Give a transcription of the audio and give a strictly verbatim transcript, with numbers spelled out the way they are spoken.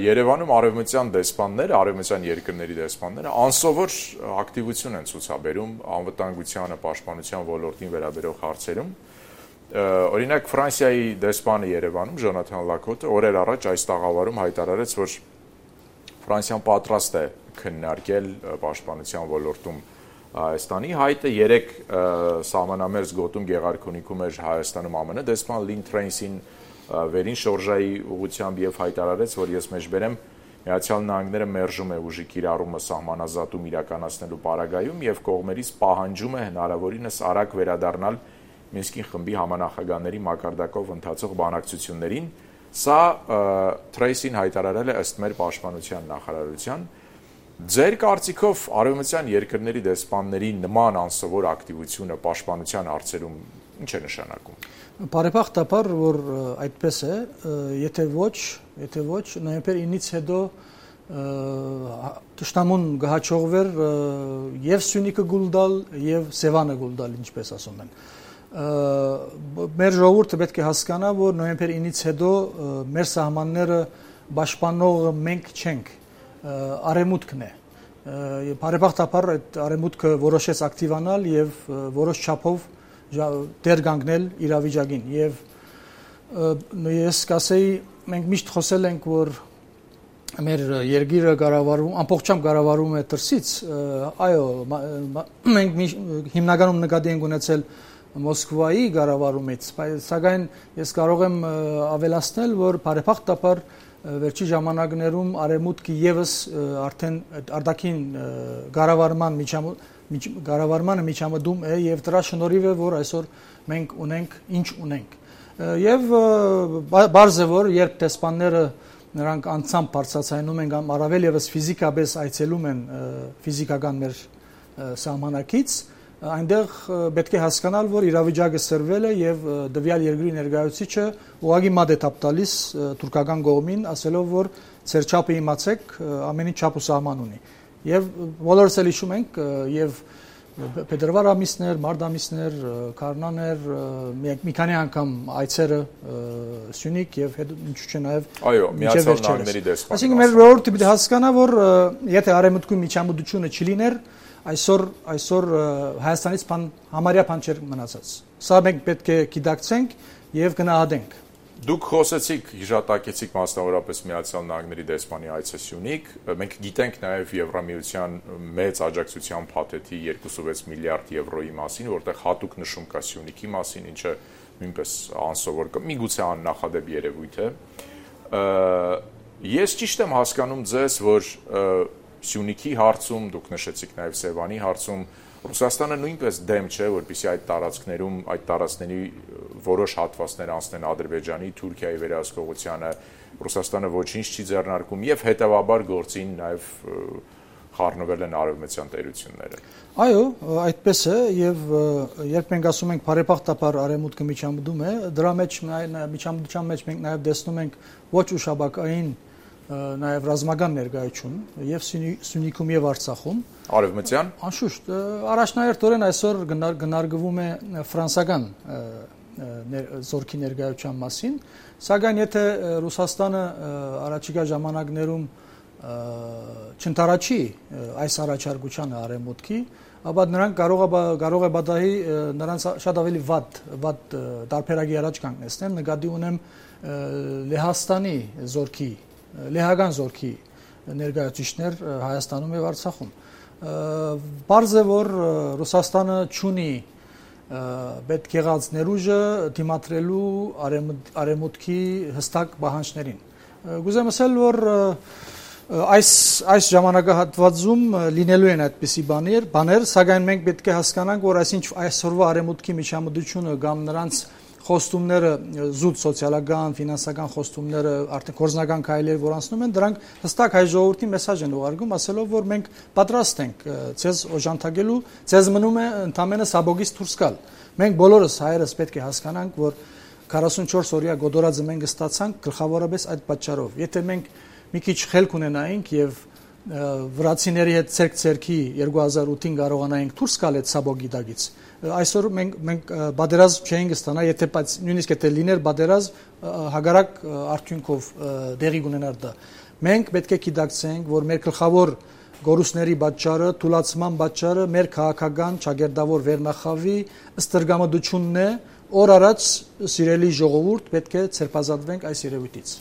Երևանում արևմտյան դեսպանները, արևմտյան երկրների դեսպանները անսովոր ակտիվություն են ցուցաբերում անվտանգությանը, պաշտպանության ոլորտին վերաբերող հարցերում։ Օրինակ Ֆրանսիայի դեսպանը Երևանում Ժոնաթան Լակոտը օրեր առաջ այս տաղավարում հայտարարեց, որ Ֆրանսիան պատրաստ է քննարկել պաշտպանության ոլորտում Հայաստանի հայտը երեք սահմանամերձ գոտում Գեղարքունիքում էր Հայաստանում ԱՄՆ դեսպան Լին Թրեյնսին վերին շորժայի ուղղությամբ եւ հայտարարեց, որ ես մեջբերեմ Միացյալ Նահանգները մերժում է ուժի կիրառումը սահմանազատում իրականացնելու պարագայում եւ կողմերից պահանջում է հնարավորինս արագ վերադառնալ Մինսկի խմբի համանախագահների մակարդակով ընթացող բանակցություններին։ Սա Թրեյսին հայտարարել է ըստ մեր պաշտպանության նախարարության։ Ձեր կարծիքով արևմտյան երկրների դեսպանների նման անսովոր ակտիվությունը պաշտպանության հարցերում ինչ է նշանակում։ Բարեբախտաբար, որ այդպես է, եթե ոչ, եթե ոչ, նոյեմբեր ինից հետո Տշտամուն գահաճողվեր եւ Սյունիքը գուլդալ եւ Սևանը գուլդալ, ինչպես ասում են։ Մեր ժողովուրդը պետք է հասկանա, որ նոյեմբեր ինից հետո մեր սահմանները պաշտպանողը մենք չենք, արևմուտքն է։ Բարեբախտաբար այդ արևմուտքը որոշեց ակտիվանալ եւ որոշ չափով դեր կանգնել իրավիճակին եւ ես կասեի մենք միշտ խոսել ենք որ մեր երկիրը կառավարվում ամբողջությամբ կառավարվում է դրսից այո մենք հիմնականում նկատի ենք ունեցել Մոսկվայի կառավարումից սակայն ես կարող եմ ավելացնել որ բարեբախտաբար վերջի ժամանակներում արևմուտքը եւս արդեն արտաքին կառավարման միջամուխ Գարավարմանը միջամտում է եւ դրա շնորհիվ է որ այսօր մենք ունենք ինչ ունենք եւ բարձ է որ երբ դեսպանները նրանք անցամբ բարձրացնում են կամ առավել եւս ֆիզիկապես այցելում են ֆիզիկական մեր սահմանակից այնտեղ պետք է հասկանալ որ իրավիճակը սրվել է եւ դվյալ երկրի ներկայացուցիչը ուղղակի մատ է տալիս թուրքական կողմին ասելով որ ծեր չափը իմացեք ամենի չափ ու սահման ունի Եվ բոլորս էլ հիշում ենք եւ փետրվար ամիսներ, մարտ ամիսներ, քարնաներ, մի քանի անգամ այցերը Սյունիք եւ ինչու՞ չէ նաեւ Այո, Միացյալ Նահանգների դեսպանը։ Այսինքն մեր ժողովուրդը պետք է հասկանա, որ եթե արևմուտքում միջամտությունը չլիներ, այսօր այսօր Հայաստանից բան համարյա բան չէր մնացած։ Սա մենք պետք է գիտակցենք եւ գնահատենք։ Դուք խոսեցիք, հիշատակեցիք մասնավորապես Միացյալ Նահանգների դեսպանի այցը Սյունիք, մենք գիտենք նաև Եվրամիության մեծ աջակցության փաթեթի երկուսունվեց միլիարդ եվրոյի մասին, որտեղ հատուկ նշում կա Սյունիքի մասին, ինչը նույնպես անսովոր կա, միգուցե աննախադեպ երևույթ է։ Ես ճիշտ եմ հասկանում ձեզ, որ Սյունիքի հարցում, դուք նշեցիք նաև Սևանի հարցում, Ռուսաստանը նույնպես դեմ չէ, որպեսզի այդ տարածքներում, այդ տարածքների որոշ հատվածներ անցնեն Ադրբեջանի, Թուրքիայի վերահսկողությանը, Ռուսաստանը ոչինչ չի ձեռնարկում եւ հետեւաբար գործին նաեւ խառնվել են արևմտյան տերությունները։ Այո, այդպես է եւ երբ մենք ասում ենք բարեբախտաբար արևմուտքը միջամտում է, դրա մեջ միջամտության մեջ մենք նաեւ տեսնում ենք ոչ ուշաբակային նաև ռազմական ներկայություն եւ Սյունիքում եւ Արցախում Արևմտյան անշուշտ առաջնահերթորեն այսօր գնարկվում է ֆրանսական զորքի ներկայության մասին սակայն եթե Ռուսաստանը առաջիկա ժամանակներում չընթառաջի այս առաջարկությանը արևմուտքի ապա նրանք կարող է կարող է բադահի նրանց շատ ավելի վատ վատ տարբերակի առաջ կանգնեցնեն նկատի ունեմ Լեհաստանի զորքի Լեհական զորքի ներկայացուցիչներ Հայաստանում եւ Արցախում։ Բարձ է որ Ռուսաստանը չունի պետք եղած ներուժը դիմադրելու արևմուտքի հստակ պահանջներին։ Գուզեմ ասել որ այս այս ժամանակահատվածում լինելու են այդպիսի բաներ, բաներ, սակայն մենք պետք է հասկանանք, որ այսինչ այսօրվա արևմուտքի միջամտությունը կամ նրանց խոստումները զուտ սոցիալական, ֆինանսական խոստումները, արդեն կորզնական քայլեր, որ անցնում են, դրանք հստակ հայ ժողովրդի մեսաժ են ուղարկում, ասելով, որ մենք պատրաստ ենք ցեզ օժանդակելու, ցեզ մնում է ընդամենը սաբոգից դուրս գալ։ Մենք բոլորս հայերս պետք է հասկանանք, որ քառասունչորս օրյա գոդորածը մենք ստացանք գլխավորապես այդ պատճառով։ Եթե մենք մի քիչ խելք ունենայինք եւ վրացիների հետ ցերկ-ցերքի երկու հազար ութին կարողանայինք դուրս գալ այդ սաբոգի դագից այսօր մենք մենք բادرազմ չենք ստանա եթե բայց նույնիսկ եթե լիներ բادرազմ հագարակ արդյունքով դեղի ունենար դա Մենք պետք է գիտակցենք, որ մեր գլխավոր գորուսների պատճառը, թուլացման պատճառը մեր քաղաքական ճագերտավոր վերնախավի ստրգամդությունն է, օր առաջ սիրելի ժողովուրդ պետք է ցերպազատվենք այս երևույթից։